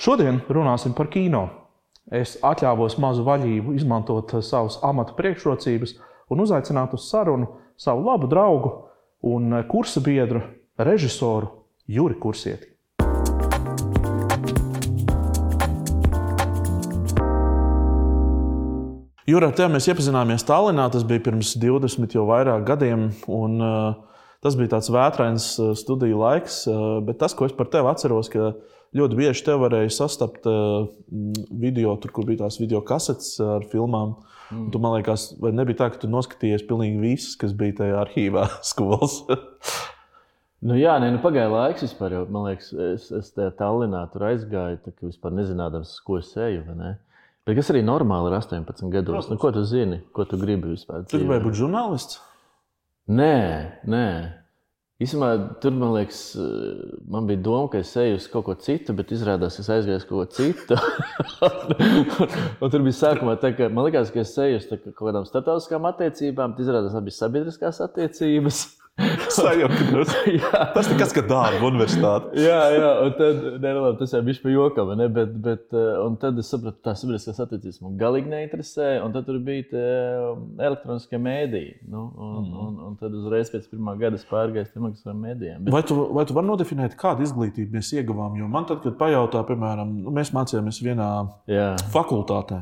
Šodien runāsim par kino. Es atļāvos mazu vaļību izmantot savas amata priekšrocības un uzaicināt uz sarunu savu labu draugu un kursa biedru, režisoru Juri Kursieti. Juri, ar tevi mēs iepazināmies Tallinā, tas bija pirms 20 jau vairāk gadiem, un tas bija tāds vētrains studiju laiks, bet tas, ko es par tevi atceros, ka ļoti bieži tev varēja sastapt video, tur, kur bija tās video kasetes ar filmām. Tu, man liekas, vai nebija tā, ka tu noskatījies pilnīgi visus, kas bija tajā arhīvā skolas? Pagāja laiks vispār, jo, man liekas, es tajā Tallinā tur aizgāju, tā kā vispār nezinādams, ko es eju, vai ne? Bet kas arī normāli ir 18 gados? Ko tu zini? Ko tu gribi vispār? Tu gribēji būt žurnālists? Nē. Īsumā, tur, man liekas, man bija doma, ka es eju uz kaut ko citu, bet izrādās, es aizgāju uz kaut ko citu. un tur bija sākumā tā, ka man likās, ka es eju uz kaut kādām starptautiskām attiecībām, bet izrādās, ka bija sabiedriskās attiecības. Sajaukinās. Tas ir kas, ka dārba universitāte. Jā, un tad, tas jau bišķi pa jokam, ne? Bet un tad es sapratu, tā sabiedriskās attiecības man galīgi neinteresē, un tad tur bija elektroniskie mēdīji. Un tad uzreiz pēc pirmā gada es pārgāju elektroniskajiem mēdījiem. Vai tu vari nodefinēt, kādu izglītību mēs ieguvām? Jo man tad, kad pajautā, piemēram, mēs mācījāmies vienā fakultātē,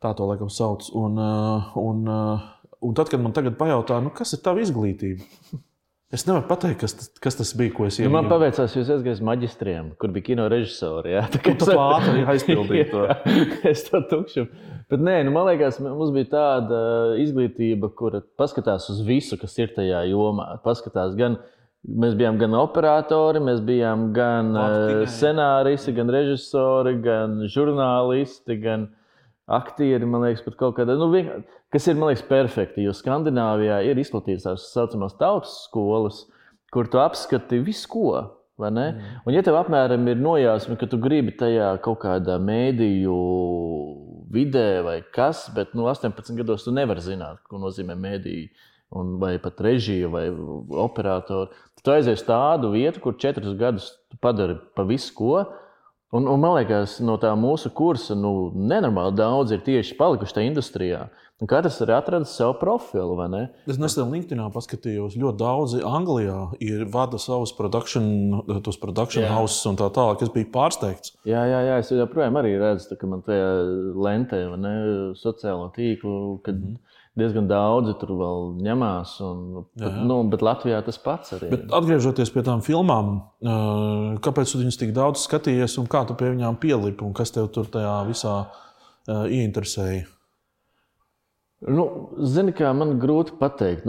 tā to laikam sauc, un tad, kad man tagad pajautā, kas ir tava izglītība? Es nevaru pateikt, kas tas bija, ko es ieguvu. Man paveicās, jūs aizgājis maģistriem, kur bija kino režisori. Jā, tā ātri aizpildīja to. Es to tukšu. Bet man liekas, mums bija tāda izglītība, kura paskatās uz visu, kas ir tajā jomā. Paskatās mēs bijām gan operatori, mēs bijām gan scenāristi, gan režisori, gan žurnālisti, gan aktieri, man liekas, pat kaut kādā, kas ir, man liekas, perfekti, jo Skandināvijā ir izplatīts tās saucamās tautas skolas, kur tu apskati visu ko, vai ne? Un ja tev apmēram ir nojausma, ka tu gribi tajā kaut kādā mēdīju vidē vai kas, bet 18 gados tu nevari zināt, ko nozīmē mēdīju, vai pat režija vai operatori. Tu aizies tādu vietu, kur 4 gadus tu padari pa visu ko, un man liekas, no tā mūsu kursa nenormāli daudz ir tieši palikuši tajā industrijā. Un katrs arī atradis savu profilu, vai ne? Es nesen LinkedInā paskatījos, ļoti daudzi Anglijā vada savus production houses un tā tālāk. Es biju pārsteigts. Jā, es joprojām arī redzu, ka man tajā lentē, vai ne, sociālo tīklu, kad diezgan daudzi tur vēl ņemās, bet Latvijā tas pats arī. Bet atgriežoties pie tām filmām, kāpēc tu viņus tik daudz skatījies un kā tu pie viņām pielipi un kas tev tur tajā visā ieinteresēja? Zini, kā man grūti pateikt.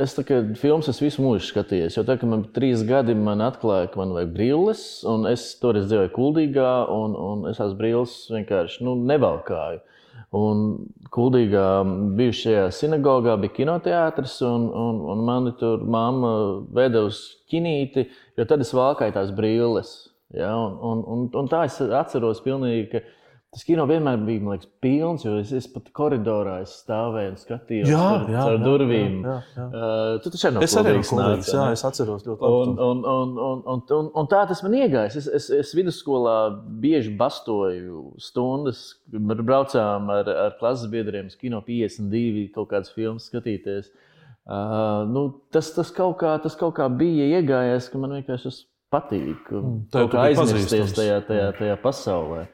Es filmas visu mūžu skatījies, jo tā, ka man 3 gadi man atklāja, ka man vajag brilles, un es toreiz dzīvoju Kuldīgā, un es tās brilles vienkārši nevalkāju. Un Kuldīgā bijušajā sinagogā bija kinoteātris, un mani tur mamma veda uz kinīti, jo tad es valkāju tās brilles. Ja? Un tā es atceros pilnīgi, ka tas kino vienmēr bija, man liekas, pilns, jo es pat koridorā stāvēju un skatījos caur durvīm. Tu taču arī no Kuldīgas nāc. Jā, es atceros ļoti labi. Un tā tas man iegājis. Es vidusskolā bieži bastoju stundas, braucām ar klases biedriem uz kino 52 kaut kādas filmas skatīties. Tas kaut kā bija iegājies, ka man vienkārši tas patīk. Kaut kā aizmirsties tajā pasaulē.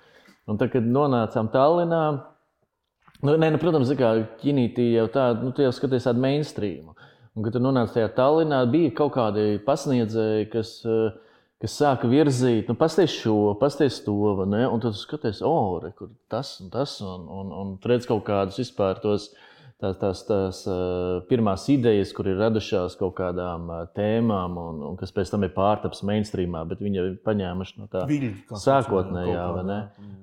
Un tad, kad nonācām Tallinā, protams, kinītī jau tāda, tu jau skaties tādu mainstreamu. Un, kad tu nonāc tajā Tallinā, bija kaut kādi pasniedzēji, kas sāka virzīt, pasties šo, pasties to, vai ne? Un tad tu skaties, kur tas un tas, un redz kaut kādus vispār tās pirmās idejas, kur ir radušās kaut kādām tēmām, un kas pēc tam ir pārtaps mainstreamā, bet viņi ir paņēmuši no tā sākotnējā, vai ne?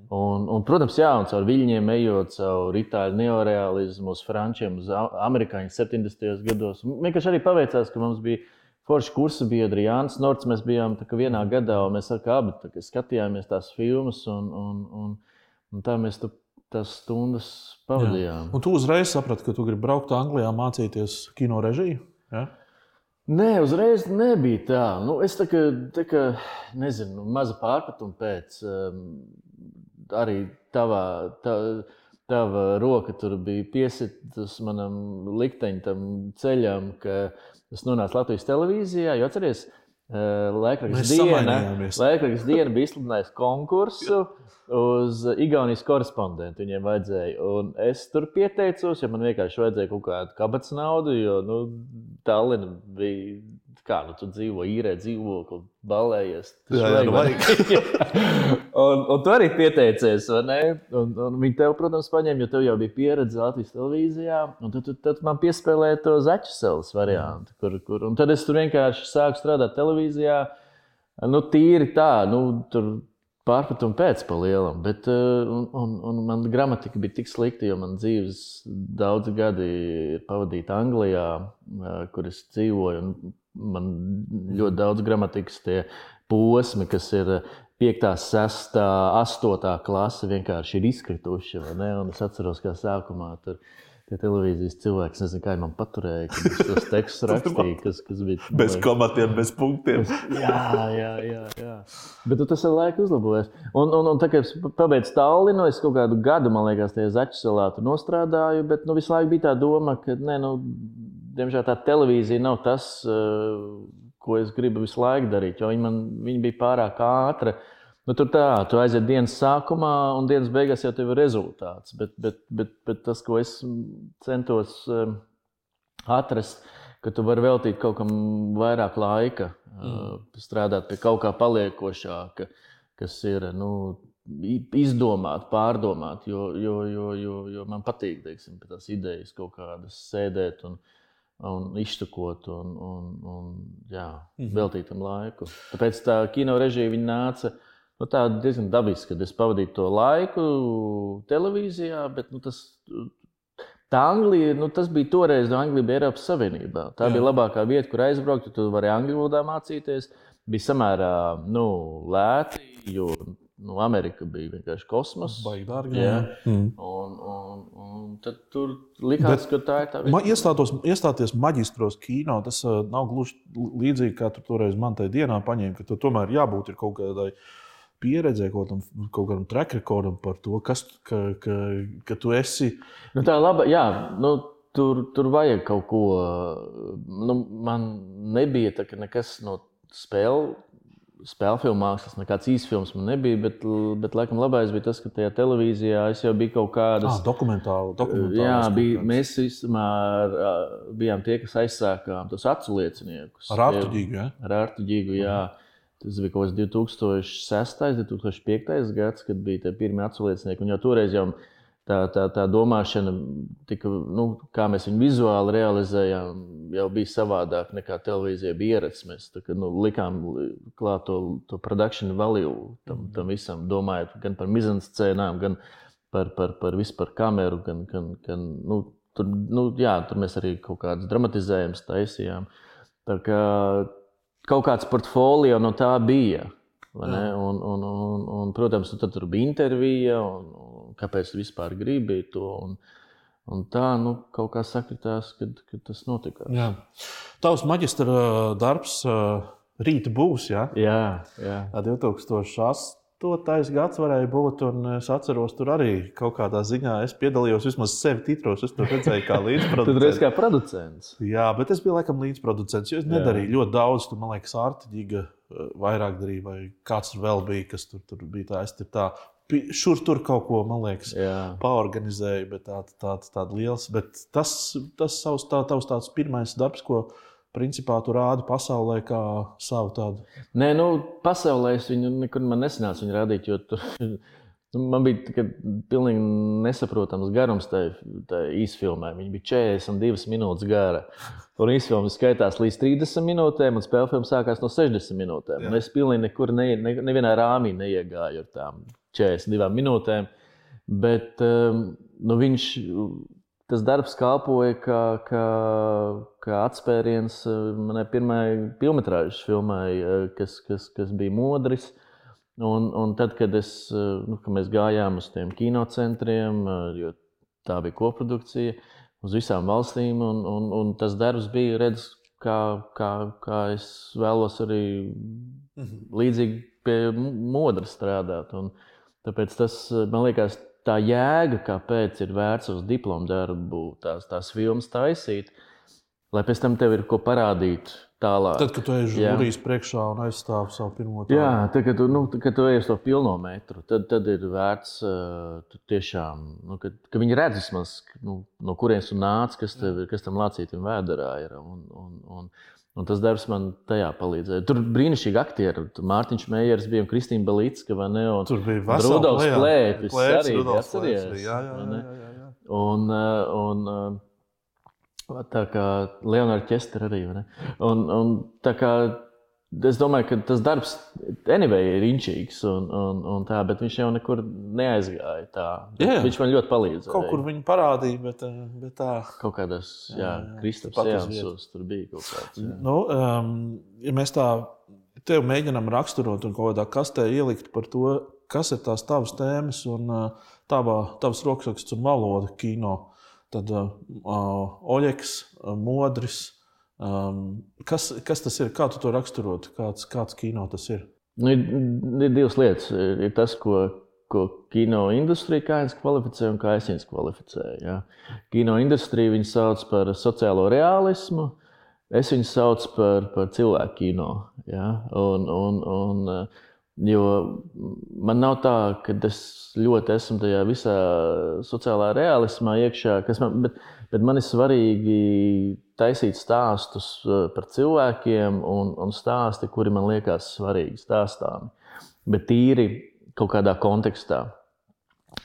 Un, protams, un caur viļņiem ejot, caur itāļu neorealismu, uz frančiem, uz amerikāņu 70. gados. Vienkārši arī paveicās, ka mums bija forši kursa biedri, Jānis Norts, mēs bijām vienā gadā, un mēs abi skatījāmies tās filmas, un tā mēs tās stundas pavadījām. Un tu uzreiz saprati, ka tu gribi braukt Anglijā mācīties kino režiju? Ja? Nē, uzreiz nebija tā. Es tā kā nezinu, maza pārpratuma pēc arī tava roka tur bija piesitas manam likteņa tam ceļam, ka es nonācu Latvijas televīzijā, jo atceries, Laikraksts diena bija izsludinājis konkursu uz Igaunijas korespondentu. Viņiem vajadzēja. Un es tur pieteicos, jo man vienkārši vajadzēja kaut kādu kabatas naudu, jo Tallina bija, kā tu dzīvo, īrē dzīvokli, balējies. Un tu arī pieteicies, vai ne? Un viņi tev, protams, paņēma, jo tev jau bija pieredze Latvijas televīzijā. Un tad man piespēlēja to Zaķuseles variantu. Un tad es tur vienkārši sāku strādāt televīzijā. Tīri tā, tur pārpratumi pēc pa lielam. Bet, un man gramatika bija tik slikta, jo man dzīves daudzi gadi ir pavadīta Anglijā, kur es dzīvoju. Un man ļoti daudz gramatikas tie posmi, kas ir 5., 6., 8. klase, vienkārši ir izkrituši. Un es atceros, kā sākumā tur tie televīzijas cilvēki, nezinu, kā man paturēja, kad es tos tekstus rakstīju, kas bija... Bez komatiem, bez punktiem. Jā. Bet tas ar laiku uzlabojas. Un tā kā es pabeidzu Tallinu, es kaut kādu gadu, man liekas, tajā Zaķuselā tur nostrādāju, bet visu laiku bija tā doma, ka, diemžēl tā televīzija nav tas, ko es gribu visu laiku darīt, jo viņa bija pārāk ātra. Tu aiziet dienas sākumā, un dienas beigās jau tev ir rezultāts. Bet tas, ko es centos atrast, ka tu vari veltīt kaut kam vairāk laika, strādāt pie kaut kā paliekošāka, kas ir izdomāt, pārdomāt, jo man patīk, teiksim, pie tās idejas kaut kādas sēdēt un izštukot un veltīt tam laiku. Tāpēc tā kino režija viņa nāca tā diezgan dabiski, kad es pavadīju to laiku televīzijā, bet tā Anglija, tas bija toreiz, Anglija bija Eiropas Savienībā. Tā bija labākā vieta, kur aizbraukt, jo tu vari angļu valodā mācīties. Bija samērā lēti, jo Amerika bija vienkārši kosmos. Baigi dārgi. Un tad tur likās, ka tā ir tā vieta. Iestāties maģistros kino, tas nav gluži līdzīgi, kā tu toreiz man tajā dienā paņēmi, ka tu tomēr jābūt ir kaut kādai pieredzē, kaut kādam track recordam par to, ka tu esi... Tā laba, tur vajag kaut ko... Man nebija tā, ka nekas no spēļu mākslas, nekāds īsfilms man nebija, bet laikam labais bija tas, ka tajā televīzijā es jau biju kaut kādas... Dokumentāli. Mēs vismā bijām tie, kas aizsākām tos aculieciniekus. Ar Artu Ģigu, jā? Ar Artu Ģigu, jā. Tas bija kaut kāds 2006. 2005. gads, kad bija tie pirmie aculiecinieki. Un jau toreiz jau tā domāšana, tika, kā mēs viņu vizuāli realizējām, jau bija savādāk nekā televīzijā bija ierats. Mēs likām klāt to production value tam visam, domājot gan par mizanscēnām, gan par vispār kameru, tur mēs arī kaut kādas dramatizējumus taisījām. Tā kā kaut kāds portfolio no tā bija. Un, protams, tad tur bija intervija, un kāpēc tu vispār gribi to. Un tā kaut kā sakritās, kad tas notika. Jā. Tavs maģistra darbs rīta būs, jā? Jā. 2008. gads varēja būt, un es atceros, tur arī kaut kādā ziņā es piedalījos vismaz sevi titros. Es tur redzēju kā līdzproducents. Tu reiz kā producents. Jā, bet es biju laikam līdzproducents, jo es nedarīju ļoti daudz. Tur, man liekas, Arta Ģiga vairāk darīja, vai kāds tur vēl bija, kas tur bija tā. Es tā šur tur kaut ko, man liekas, paorganizēju, bet tāda liels. Bet tas tavs tāds pirmais darbs, ko principā tu rādi pasaulē kā savu tādu? Nē, pasaulē es viņu nekur nesanācu viņu rādīt, jo tur man bija pilnīgi nesaprotams garums tā īsfilmē. Viņa bija 42 minūtes gara. Un īsfilma skaitās līdz 30 minūtēm, un spēlfilma sākās no 60 minūtēm. Un es pilnīgi nekur nevienā rāmī neiegāju ar tām 42 minūtēm. Bet tas darbs kalpoja kā atspēriens manai pirmajai filmetrāžas filmai, kas bija Modris. Un tad, kad mēs gājām uz tiem kinocentriem, jo tā bija koprodukcija, uz visām valstīm, un tas darbs bija, kā es vēlos arī līdzīgi pie modra strādāt. Un tāpēc tas, man liekas, tā jēga, kāpēc ir vērts uz diplomu darbu, tās filmas taisīt, lai pēc tam tev ir ko parādīt tālāk. Tad, kad tu ej žūrijas priekšā un aizstāvi savu pirmo tādu. Jā, tad, kad tu ej uz to pilno metru, tad ir vērts tiešām, ka viņi redz vismaz, no kurienes tu nāc, kas tam lācītim vēderā ir. Un tas darbs man tajā palīdzēja. Tur brīnišķīgi aktieri. Mārtiņš Meijers bija un Kristīna Belicka, vai ne? Un tur bija vesela Rudolfs Plēpis arī. Rudolfs Plēpis, jā. Un tā kā Leonards Čester arī. Un tā kā es domāju, ka tas darbs anyway ir inčīgs, un tā, bet viņš jau nekur neaizgāja tā. Viņš man ļoti palīdzēja. Kaut kur viņu parādīja, bet tā. Kaut kādās, Kristaps Jānsos tur bija kaut kāds. Ja mēs tā tev mēģinām raksturot un kaut kādā kastē ielikt par to, kas ir tās tavas tēmas un tavas rokraksts un valoda kino, tad Oļegs, Modris, kas tas ir? Kā tu to raksturot? Kāds kino tas ir? Ir divas lietas. Ir tas, ko kino industrija kāds kvalificē un kā es viņus kvalificēju. Ja? Kino industrija viņu sauc par sociālo realismu, es viņu sauc par cilvēku kino. Ja? Jo man nav tā, ka es ļoti esmu tajā visā sociālā realismā iekšā, bet man ir svarīgi taisīt stāstus par cilvēkiem un stāsti, kuri man liekas svarīgi stāstāmi, bet tīri kaut kādā kontekstā.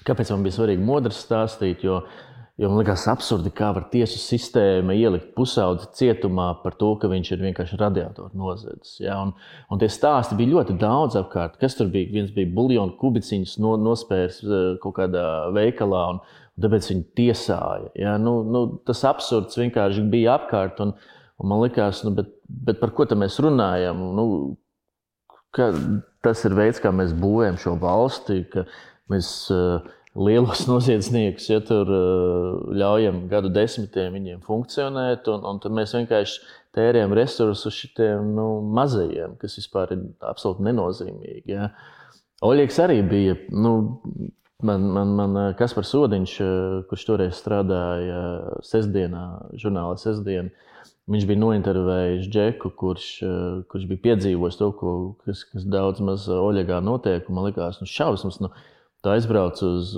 Kāpēc man bija svarīgi Modrs stāstīt? Jo man liekas absurdi, kā var tiesu sistēma ielikt pusaudzi cietumā par to, ka viņš ir vienkārši radiatoru nozadzis. Ja? Un tie stāsti bija ļoti daudz apkārt. Kas tur bija? Viens bija buljonu kubiciņus nospērs kaut kādā veikalā, un tāpēc viņi tiesāja. Ja? Tas absurds vienkārši bija apkārt, un man likās, bet par ko tad mēs runājam? Tas ir veids, kā mēs būvējam šo valsti, ka mēs lielos noziedzniekus, ja tur ļaujam gadu desmitiem viņiem funkcionēt, un tad mēs vienkārši tērējam resursus šitiem mazajiem, kas vispār ir absolūti nenozīmīgi. Ja. Oļegs arī bija, man Kaspars Odiņš, kurš toreiz strādāja sestdienā, žurnālā Sestdiena, viņš bija nointervējis Džeku, kurš bija piedzīvojis to, kas daudz maz Oļegā notiek, un man likās, šausmas, tu aizbrauc uz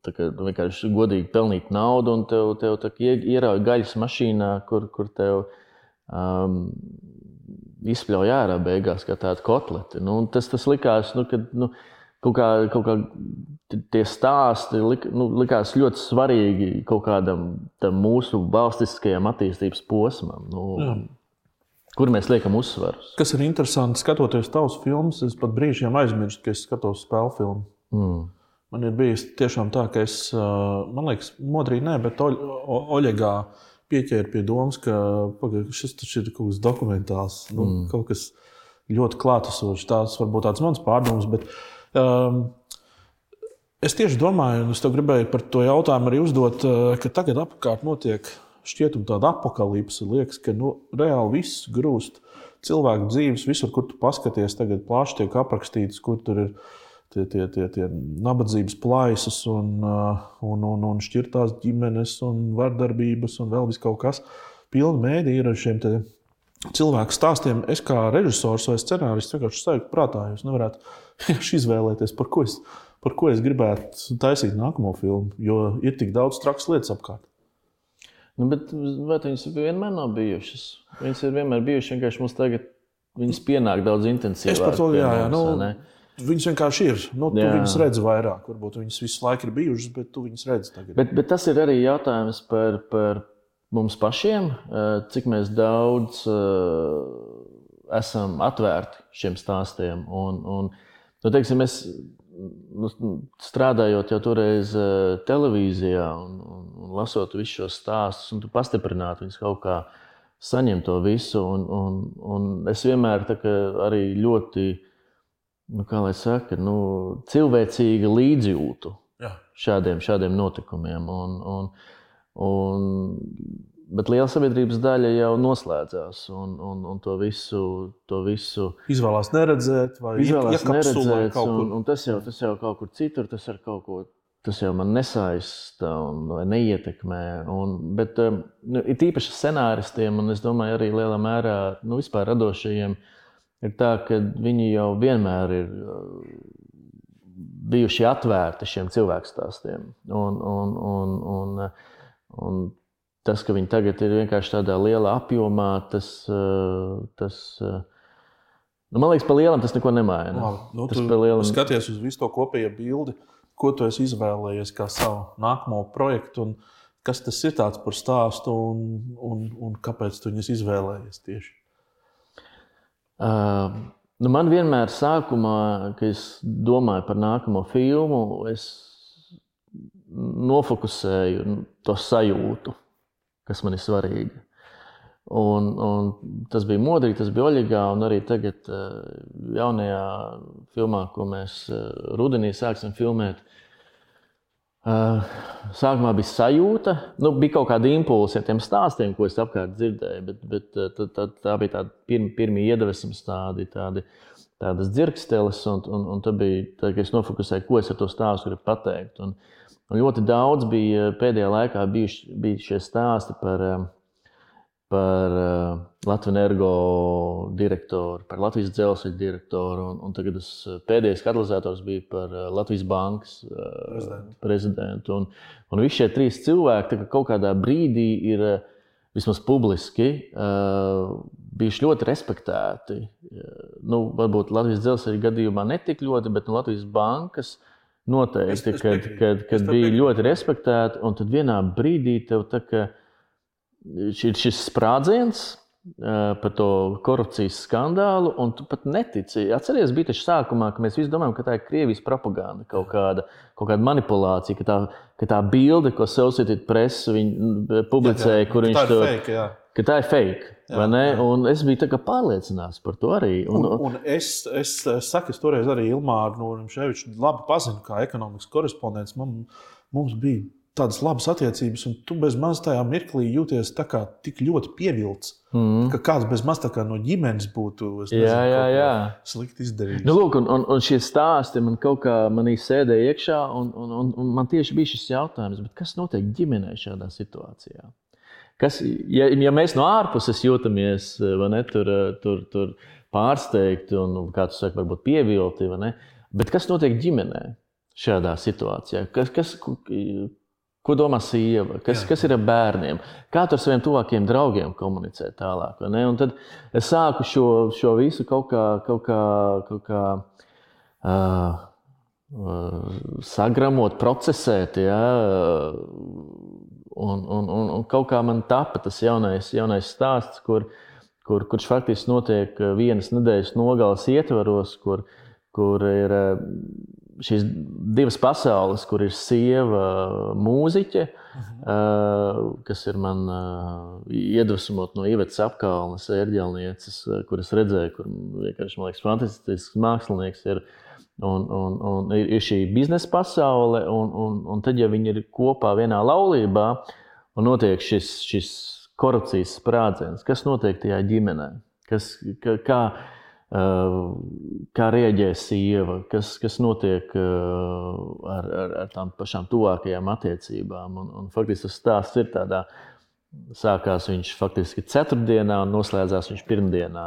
vienkārši godīgi pelnīt naudu, un tev ierauj gaļas mašīnā, kur tev izspļauj ārā beigās kā tāda kotleti. Tas likās, kad kaut kā tie stāsti likās ļoti svarīgi kaut kādam mūsu valstiskajam attīstības posmam. Kur mēs liekam uzsvarus. Kas ir interesanti, skatoties tavus filmus, es pat brīžiem aizmirstu, ka es skatos spēļu filmu. Man ir bijis tiešām tā, ka es, man liekas, Modrī nē, bet Oļegā pieķēru pie domas, ka šis taču ir kaut kas dokumentāls, kaut kas ļoti klātesošs. Tās varbūt tāds mans pārdoms, bet es tieši domāju, un es tev gribēju par to jautājumu arī uzdot, ka tagad apkārt notiek šķietum tāda apokalipse, liekas, ka reāli viss grūst cilvēku dzīves, visur, kur tu paskaties, tagad plaši tiek aprakstīts, kur tur ir tie nabadzības plaisas un šķirtās ģimenes un vardarbības un vēl viss kaut kas. Pilni mēdī ir ar šiem cilvēku stāstiem. Es kā režisors vai scenārists vienkārši sajūtu prātā, jūs nevarētu izvēlēties, par ko es gribētu taisīt nākamo filmu, jo ir tik daudz trakas lietas apkārt. Bet viņas vienmēr nav bijušas. Viņas ir vienmēr bijušas, vienkārši mums tagad viņas pienāk daudz intensīvāk. Es par to, viņas vienkārši ir. Tu viņas redzi vairāk. Varbūt viņas visu laiku ir bijušas, bet tu viņas redzi tagad. Bet tas ir arī jautājums par mums pašiem, cik mēs daudz esam atvērti šiem stāstiem. Teiksim, es strādājot jau toreiz televīzijā un lasot visus šos stāstus, un tu pastiprinātu viņus kaut kā saņemt to visu. Un es vienmēr arī ļoti, kā lai saka, cilvēcīgi līdzjūtu šādiem notikumiem. Un Bet liela sabiedrības daļa jau noslēdzās un to visu izvēlās neredzēt vai iekapsulē kaut kur. Un tas jau kaut kur citur, tas jau man nesaista vai neietekmē. Bet ir tīpaši scenāristiem, un es domāju arī lielā mērā vispār radošajiem, ir tā, ka viņi jau vienmēr ir bijuši atvērti šiem cilvēkstāstiem. Un tas, ka viņi tagad ir vienkārši tādā lielā apjomā, man liekas, pa lielam tas neko nemaina. Tu skaties uz visu to kopējo bildi, ko tu esi izvēlējies kā savu nākamo projektu, un kas tas ir tāds par stāstu, un kāpēc tu viņus izvēlējies tieši? Man vienmēr sākumā, kad es domāju par nākamo filmu, es nofokusēju to sajūtu, kas man ir svarīga. Un tas bija modrīgi, tas bija Oļegā, un arī tagad jaunajā filmā, ko mēs rudenī sāksim filmēt. Sākumā bija sajūta, bija kaut kāda impulsa ar tiem stāstiem, ko es apkārt dzirdēju, bet tā bija tāda pirmie iedvesmas tādas dzirksteles, un tad bija tā, ka es nofokusēju, ko es ar to stāstu gribu pateikt. Un ļoti daudz bija pēdējā laikā bija šie stāsti par Latvenergo direktoru, par Latvijas dzelzceļa direktoru, un tagad pēdējais katalizators bija par Latvijas bankas prezidentu. Un visi šie 3 cilvēki kaut kādā brīdī ir vismaz publiski bijuši ļoti respektēti. Varbūt Latvijas dzelzceļa gadījumā netik ļoti, bet Latvijas bankas noteikti, kad bija ļoti respektēti, un tad vienā brīdī tev tā kā šis sprādziens par to korupcijas skandālu, un tu pat netici. Atceries, bija taču sākumā, ka mēs visi domājam, ka tā ir Krievijas propaganda, kaut kāda manipulācija, ka tā bilde, ko Associated Press publicēja, kur viņš to... Ka tā ir fake, vai ne? Un es biju tā kā pārliecināts par to arī. Un es saku, es toreiz arī Ilmāru Norimševiču labi pazinu kā ekonomikas korespondents. Mums bija tādas labas attiecības, un tu bez maz tajā mirklī jūties tā kā tik ļoti pievilts, ka kāds bez maz tā kā no ģimenes būtu slikti izdarījis. Lūk, un šie stāsti man kaut kā manī sēdēja iekšā, un man tieši bija šis jautājums, bet kas notiek ģimenē šādā situācijā? Ja mēs no ārpuses jūtamies tur pārsteigti un, kā tu saki, varbūt pievilti, bet kas notiek ģimenē šādā situācijā? Ko domā sieva? Kas ir ar bērniem? Kā tu ar saviem tuvākiem draugiem komunicē tālāk? Un tad es sāku šo visu kaut kā sagramot, procesēt, un kaut kā man tapa tas jaunais stāsts, kurš faktiski notiek vienas nedēļas nogales ietvaros, kur ir šīs 2 pasaules, kur ir sieva mūziķe, kas ir man iedvesmot no Ivetas Apkalnes, ērģelnieces, kuras redzēju, kur vienkārši, man liekas, fantastisks mākslinieks ir. Un ir šī biznesa pasaule, un tad, ja viņi ir kopā vienā laulībā, un notiek šis korupcijas sprādziens, kas notiek tajā ģimenē? Kā reaģē sieva? Kas notiek ar tām pašām tuvākajām attiecībām? Un faktiski tas stāsts ir tādā. Sākās viņš faktiski ceturtdienā un noslēdzās viņš pirmdienā.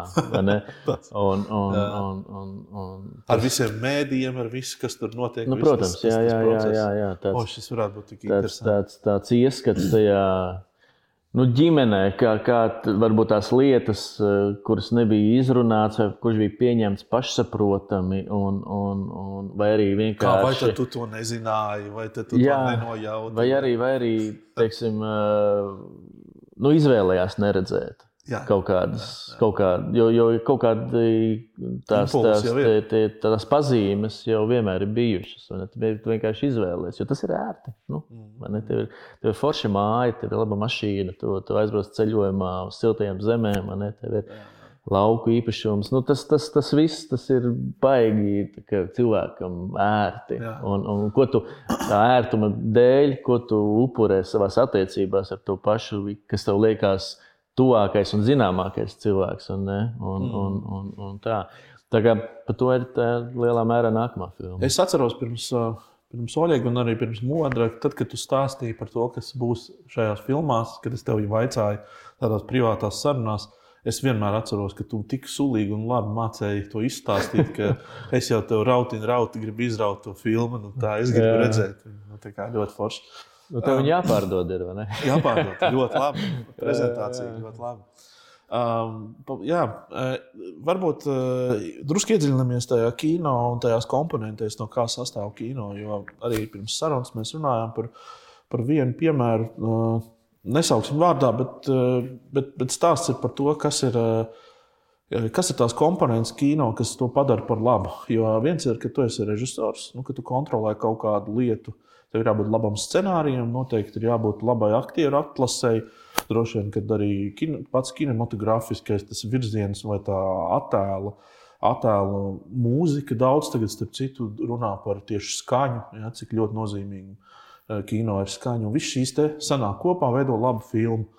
Ar visiem mēdījiem, ar visu, kas tur notiek. Protams, jā. Šis varētu būt tik interesants. Tāds ieskats tajā ģimenē, kā varbūt tās lietas, kuras nebija izrunāts, vai kurš bija pieņemts pašsaprotami, vai arī vienkārši... Vai tad tu to nezināji, vai tad tu to nenojauti? Vai arī teiksim, izvēlējās neredzēt kaut kādas, jo kaut kādi tās pazīmes jau vienmēr ir bijušas, un tu vienkārši izvēlējies, jo tas ir ērti. Tev ir forša māja, tev ir laba mašīna, tu aizbrauc ceļojumā uz siltajām zemēm, tev ir lauku īpašums. Nu, tas viss tas ir baigi cilvēkam ērti. Un ko tu tā ērtuma dēļ, ko tu upurē savās attiecībās ar to pašu, kas tev liekas tuvākais un zināmākais cilvēks. Un tā. Tā kā par to ir tā lielā mērā nākamā filma. Es atceros pirms Oļega un arī pirms Modra, tad, kad tu stāstīji par to, kas būs šajās filmās, kad es tev vaicāju tādās privātās sarunās, es vienmēr atceros, ka tu tik sulīgi un labi mācēji to izstāstīt, ka es jau tev rauti gribu izraut to filmu, nu tā es gribu redzēt. Nu, tā kā ļoti forši. Nu, tev viņi jāpārdod ir, vai ne? Jāpārdod, ļoti labi. Prezentācija ļoti labi. Varbūt drusku iedziļinamies tajā kino un tajās komponentēs, no kā sastāv kino, jo arī pirms sarunas mēs runājām par vienu piemēru, nesauksim vārdā, bet stāsts ir par to, kas ir tās komponentes kino, kas to padara par labu. Jo viens ir, ka tu esi režisors, ka tu kontrolē kaut kādu lietu, tev ir jābūt labam scenārijam, noteikti ir jābūt labai aktieru atlasei, droši vien, kad arī pats kinematografiskais tas virziens vai tā attēla mūzika daudz tagad, starp citu, runā par tieši skaņu, cik ļoti nozīmīgi kino ir skaņa. Un viss šīs te sanāk kopā, veido labu filmu.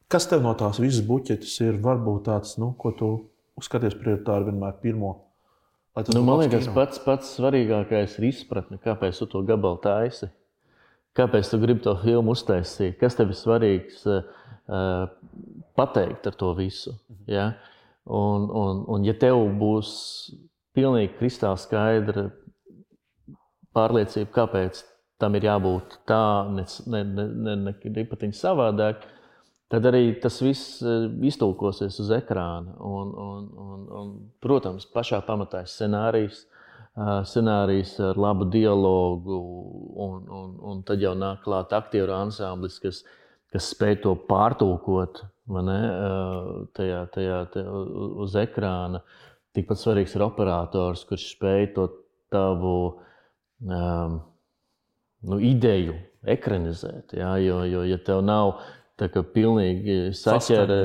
Kas tev no tās visas buķetes ir varbūt tāds, ko tu skaties prioritāri vienmēr pirmo? Man liekas, pats svarīgākais ir izpratne, kāpēc tu to gabalu taisi. Kāpēc tu gribi to filmu uztaisīt? Kas tev ir svarīgs pateikt ar to visu? Ja? Un ja tev būs pilnīgi kristāli skaidra pārliecība, kāpēc tam ir jābūt tā, ne patiņi savādāk, tad arī tas viss iztulkosies uz ekrāna. Un, protams, pašā pamatā ir scenārijs ar labu dialogu, un tad jau nāk klāt aktieru ansamblis, kas spēj to pārtulkot tajā uz ekrāna. Tikpat svarīgs ir operators, kurš spēj to tavu ideju ekranizēt. Ja? Jo ja tev nav tā kā pilnīgi saķere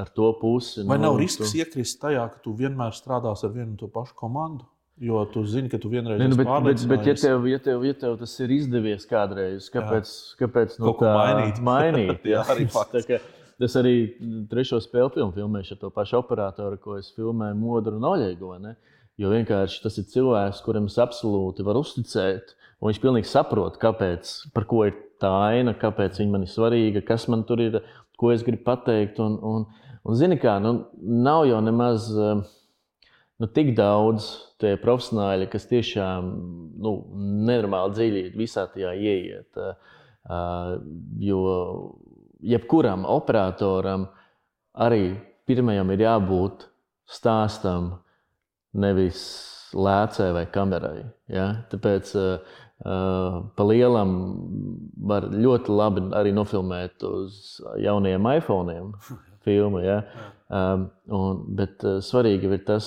ar to pusi. Vai nav risks iekrist tajā, ka tu vienmēr strādās ar vienu un to pašu komandu? Jo tu zini, ka tu vienreiz esi pārliecinājies. Bet ja tev tas ir izdevies kādreiz, kāpēc kaut ko mainīt? Jā, arī fakts. Tas arī trešo spēļu filmu filmēšu ar to pašu operatoru, ko es filmēju Modru un Oļegu. Jo vienkārši tas ir cilvēks, kuram es absolūti varu uzticēt, un viņš pilnīgi saprot, par ko ir tā aina, kāpēc viņa man ir svarīga, kas man tur ir, ko es gribu pateikt. Un zini kā, nav jau nemaz tik daudz tie profesionāļi, kas tiešām nenormāli dziļi visā tajā ieiet. Jo jebkuram operatoram arī pirmajam ir jābūt stāstam, nevis lēcē vai kamerai. Ja? Tāpēc pa lielam var ļoti labi arī nofilmēt uz jaunajiem iPhone'iem filmu. Ja? Bet svarīgi ir tas,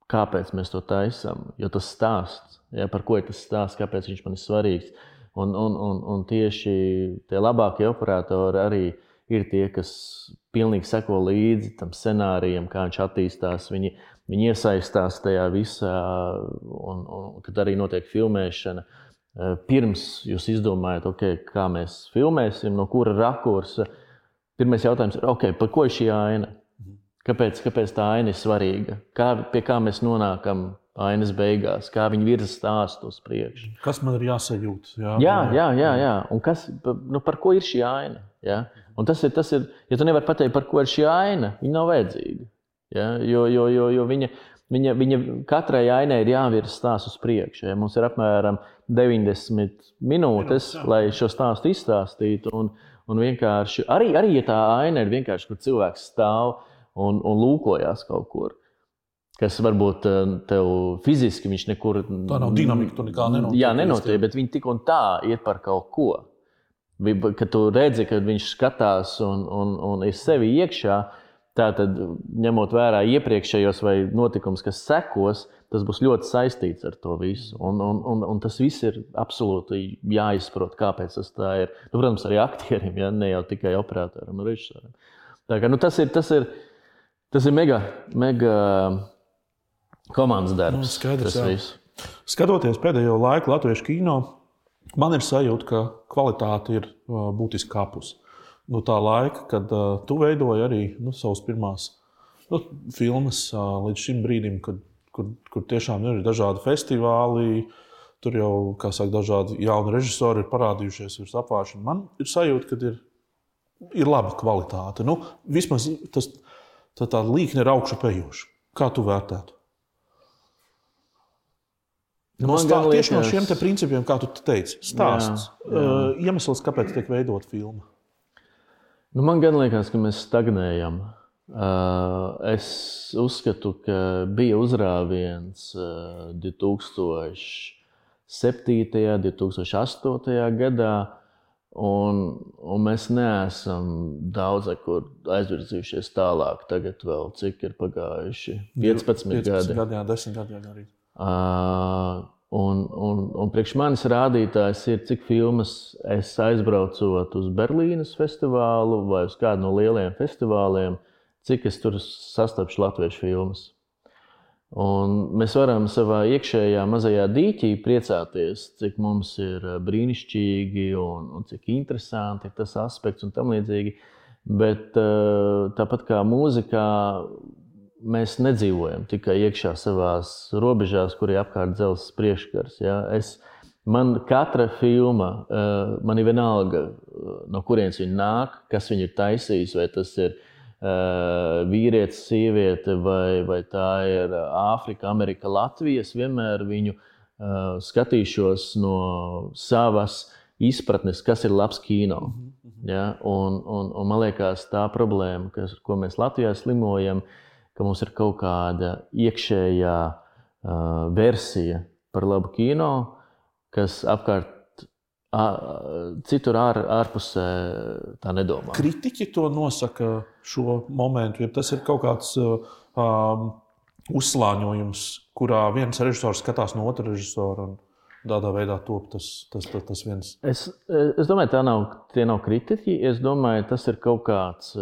kāpēc mēs to taisam. Jo tas stāsts, par ko ir tas stāsts, kāpēc viņš man ir svarīgs. Un tieši tie labākie operatori arī ir tie, kas pilnīgi seko līdzi tam scenārijam, kā viņš attīstās. Viņi iesaistās tajā visā, un kad arī notiek filmēšana. Pirms jūs izdomājat, kā mēs filmēsim, no kura rakursa. Pirmais jautājums ir, par ko ir šī aina? Kāpēc tā aina ir svarīga? Pie kā mēs nonākam ainas beigās? Kā viņi virza stāstu uz priekšu? Kas man ir jāsajūt? Jā. Un par ko ir šī aina? Ja? Un tas ir, ja tu nevari pateikt, par ko ir šī aina, viņa nav vajadzīga. Ja? Jo viņa katrai ainai ir jāvirza stāsts uz priekšu. Ja? Mums ir apmēram 90 minūtes, lai šo stāstu izstāstītu. Un vienkārši, arī ja tā aina ir vienkārši, kur cilvēks stāv un lūkojās kaut kur, kas varbūt tev fiziski viņš nekur... Tā nav dinamika, tu nekā nenotiek. Jā, nenotiek, bet viņi tik un tā iet par kaut ko. Kad tu redzi, kad viņš skatās un ir sevi iekšā, tātad, ņemot vērā iepriekšējos vai notikums, kas sekos, tas būs ļoti saistīts ar to visu. Un tas viss ir absolūti jāizprot, kāpēc tas tā ir. Protams, arī aktierim, ja, ne jau tikai operatoram un režisoram. Tā kā, tas ir Tas ir mega komandas darbs. Skaidrs, skatoties pēdējo laiku latviešu kino, man ir sajūta, ka kvalitāte ir būtiski kāpus. No tā laika, kad tu veidoji arī savas pirmās filmas līdz šim brīdim, kur tiešām ir dažādi festivāli, tur jau, kā saka, dažādi jauni režisori ir parādījušies virs apvāršana. Man ir sajūta, ka ir laba kvalitāte. Vismaz tā līkne ir augšu pejoša. Kā tu vērtētu? Tieši no šiem te principiem, kā tu teici, stāsts. Iemesls, kāpēc tiek veidot filma? Man gan liekas, ka mēs stagnējam. Es uzskatu, ka bija uzrāviens 2007. 2008. gadā, un mēs neesam daudz aizvirzījušies tālāk. Tagad vēl cik ir pagājuši 15 gadi. 10 gadi arī. Un priekš manis rādītājs ir, cik filmas es aizbraucot uz Berlīnes festivālu vai uz kādu no lielajiem festivāliem, cik es tur sastapšu latviešu filmas. Un mēs varam savā iekšējā mazajā dīķī priecāties, cik mums ir brīnišķīgi un cik interesanti ir tas aspekts un tam līdzīgi. Bet tāpat kā mūzikā, mēs nedzīvojam tikai iekšā savās robežās, kur ir apkārt dzelzs priekškars. Ja? Man katra filma, man ir vienalga, no kurienes viņa nāk, kas viņa ir taisījis, vai tas ir vīrietis, sieviete, vai tā ir Āfrika, Amerika, Latvija. Es vienmēr viņu skatīšos no savas izpratnes, kas ir labs kino. Ja? Un man liekas, tā problēma, ko mēs Latvijā slimojam, ka mums ir kaut kāda iekšējā versija par labu kino, kas apkārt citur ārpusē tā nedomā. Kritiķi to nosaka šo momentu, ja tas ir kaut kāds uzslāņojums, kurā viens režisors skatās no otra režisora un tādā veidā top tas viens. Es domāju, tie nav kritiķi. Es domāju, tas ir kaut kāds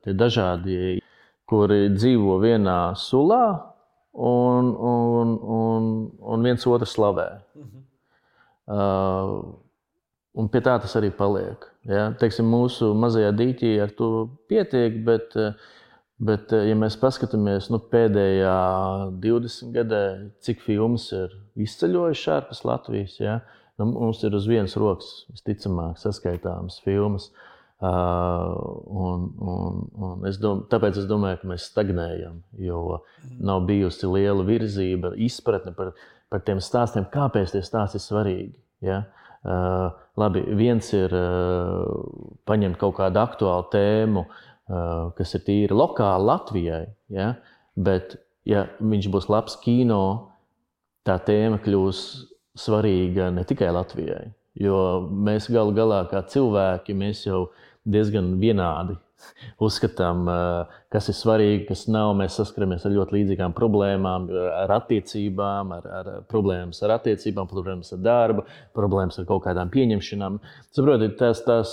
tie dažādi, kuri dzīvo vienā sulā un viens otru slavē. Un pie tā tas arī paliek. Ja? Teiksim, mūsu mazajā dīķī ar to pietiek, bet ja mēs paskatāmies pēdējā 20 gadē, cik filmas ir izceļojušas ārpus Latvijas, ja? Mums ir uz vienas rokas visticamāk saskaitāmas filmas. Tāpēc es domāju, ka mēs stagnējam, jo nav bijusi liela virzība, izpratne par tiem stāstiem, kāpēc tie stāsti ir svarīgi. Ja? Labi, viens ir paņemt kaut kādu aktuālu tēmu, kas ir tīri lokāli Latvijai, ja? Bet ja viņš būs labs kino, tā tēma kļūs svarīga ne tikai Latvijai, jo mēs galu galā kā cilvēki, mēs jau diezgan vienādi uzskatām, kas ir svarīgi, kas nav. Mēs saskaramies ar ļoti līdzīgām problēmām, ar attiecībām, ar problēmas ar attiecībām, problēmas ar darbu, problēmas ar kaut kādām pieņemšanām. Saprotiet, tās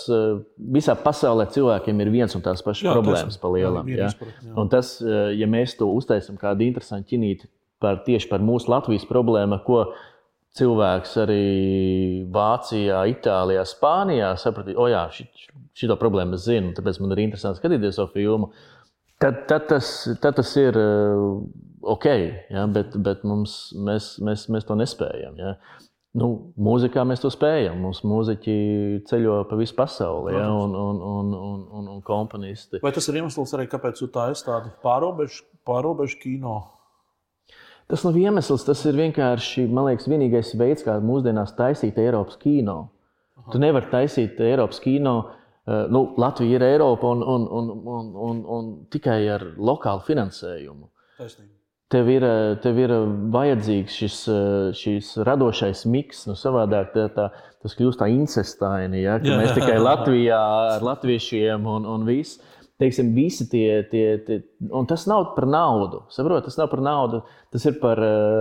visā pasaulē cilvēkiem ir viens un tās pašas problēmas pa lielam. Ja? Un tas, ja mēs to uztaisam kādu interesantu ķinīti tieši par mūsu Latvijas problēmu, ko cilvēks arī Vācijā, Itālijā, Spānijā sapratīs, šito problēmu es zinu, tāpēc man ir interesanti skatīties savu filmu. Tad tas ir ok, ja? Bet mēs to nespējam. Ja? Mūzikā mēs to spējam. Mums mūziķi ceļo pa visu pasauli, ja? un komponisti. Vai tas ir iemesls arī, kāpēc tu tā esi tādu pārobežu kino? Tas nav iemesls, tas ir vienkārši, man liekas, vienīgais veids, kā mūsdienās taisīt Eiropas kino. Tu nevari taisīt Eiropas kino, Latvija ir Eiropa un tikai ar lokālu finansējumu. Taisnība. Tev ir vajadzīgs šis radošais miks, savādāk tas kļūst tā incestaini, ja, ka mēs tikai Latvijā ar latviešiem un viss. teiksim, visi tie, un tas nav par naudu, saprot, tas nav par naudu, tas ir par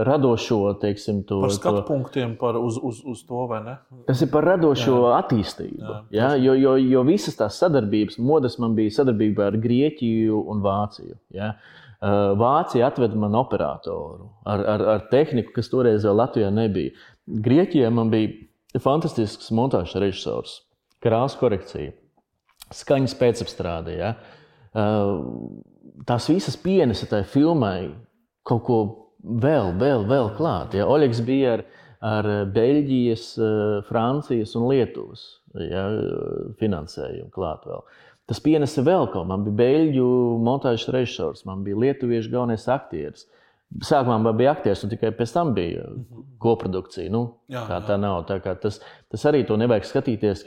radošo, teiksim, par skatu punktiem, uz to, vai ne? Tas ir par radošo attīstību, jo visas tās sadarbības, modes man bija sadarbība ar Grieķiju un Vāciju, Vācija atveda man operatoru ar tehniku, kas toreiz vēl Latvijā nebija. Grieķijā man bija fantastisks montāžas režisors, krāsu korekcija, skaņas pēcapstrāde. Tās visas pienesa tai filmai kaut ko vēl klāt. Oļegs bija ar Beļģijas, Francijas un Lietuvas finansējumu klāt vēl. Tas pienesa vēl kaut. Man bija beļģu montāžas režisors, man bija lietuviešu galvenais aktieris. Sākumā man bija aktieris, un tikai pēc tam bija koprodukcija. Tā nav. Tā kā tas arī to nevajag skatīties,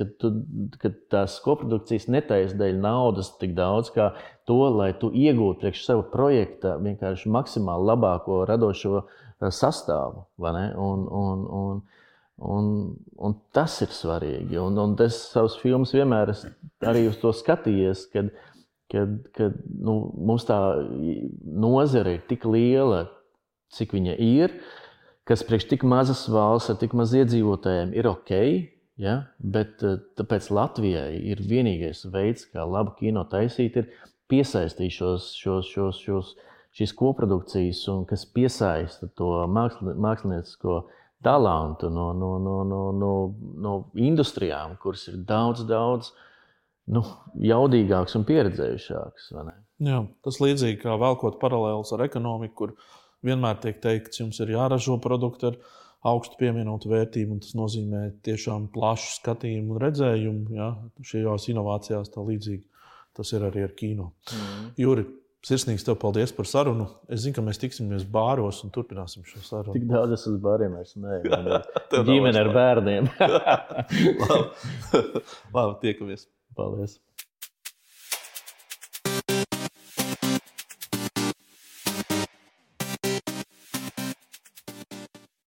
ka tās koprodukcijas netaisa dēļ naudas tik daudz, kā to, lai tu iegūtu priekš sava projekta vienkārši maksimāli labāko radošo sastāvu. Vai ne? Un tas ir svarīgi. Un es savus filmus vienmēr arī uz to skatījies, kad mums tā nozare ir tik liela, cik viņa ir, kas priekš tik mazas valsts ar tik maz iedzīvotājiem ir ok, bet tāpēc Latvijai ir vienīgais veids, kā labu kino taisīt, ir piesaistīt šīs koprodukcijas, un kas piesaista to māksliniecisko talantu no industrijām, kuras ir daudz jaudīgāks un pieredzējušāks. Jā, tas līdzīgi kā velkot paralēlus ar ekonomiku, kur vienmēr tiek teikts, jums ir jāražo produkti ar augstu pievienotu vērtību, un tas nozīmē tiešām plašu skatījumu un redzējumu. Šajās inovācijās tā līdzīgi tas ir arī ar kino. Juri, sirsnīgs tev paldies par sarunu. Es zinu, ka mēs tiksimies bāros un turpināsim šo sarunu. Tik daudz es uz bāriem vairs neeju. Ģimene ar bērniem. Labi, tiekamies. Paldies.